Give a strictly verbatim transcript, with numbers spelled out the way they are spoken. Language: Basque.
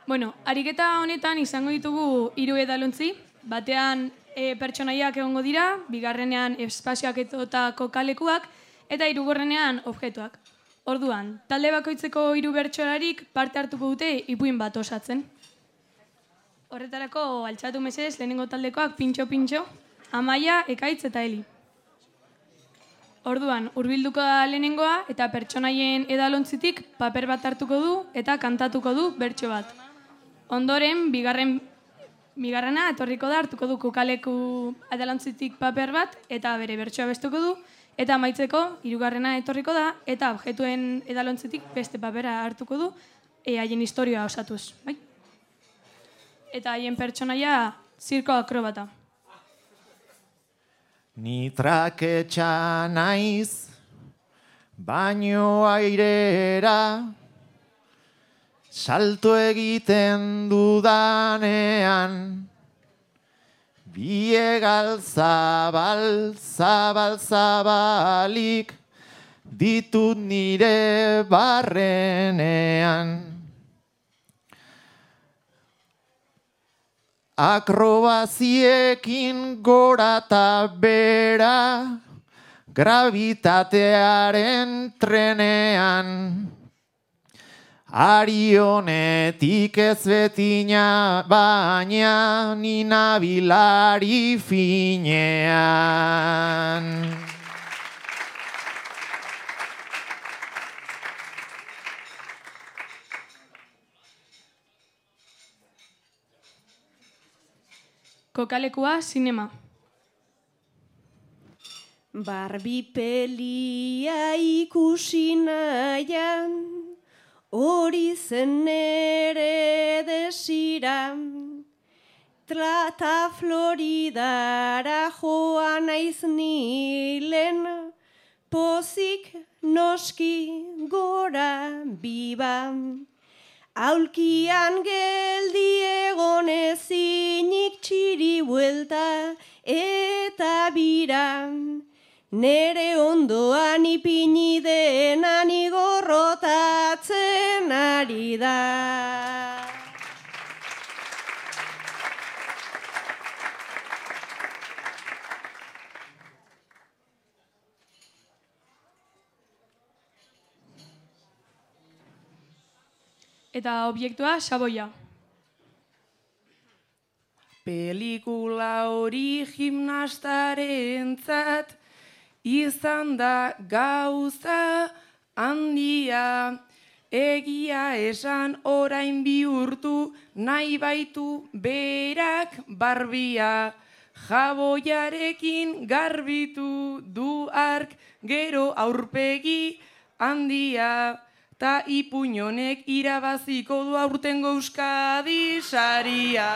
Bueno, ariketa honetan izango ditugu hiru edalontzi, batean e, pertsonaiak egongo dira, bigarrenean espazioak eta kokalekuak, eta hirugarrenean objektuak. Orduan, talde bakoitzeko hiru bertsolarik parte hartuko dute ipuin bat osatzen. Horretarako, altxatu mesedez lehenengo taldekoak pintxo-pintxo, Amaia, Ekaitz eta Eli. Orduan, hurbilduko da lehenengoa eta pertsonaien edalontzitik paper bat hartuko du eta kantatuko du bertso bat. Ondoren, bigarren, bigarrena etorriko da hartuko du kokaleku edalontzitik paper bat eta bere bertsoa bestuko du, eta amaitzeko hirugarrena etorriko da eta objektuen edalontzitik beste papera hartuko du e, haien historia osatuz. Bai? Eta haien pertsonaia zirko akrobata. Ni traketxa naiz, baino airera, salto egiten dudanean, biegal zabal, zabal, zabalik, ditut nire barrenean. Akrobaziekin gora eta bera, gravitatearen trenean. Arionetik ez betina, baina ni nabilari finean. Kokalekua, zinema. Barbie pelia ikusi nahian, hori zen nere desira. Trata Floridara joan naiz nilen, pozik noski gora biba. Aulkian geldi egon ezinik txiri buelta eta bira. Nere ondoan ipini denan igorrotatzen ari da. Eta obiektua, xaboia. Pelikula hori gimnastarentzat izan da gauza handia. Egia esan orain bihurtu nahi baitu berak Barbia. Jaboiarekin garbitu du ark gero aurpegi handia. Ta ipuñonek irabaziko du aurtengo Euskadi saria.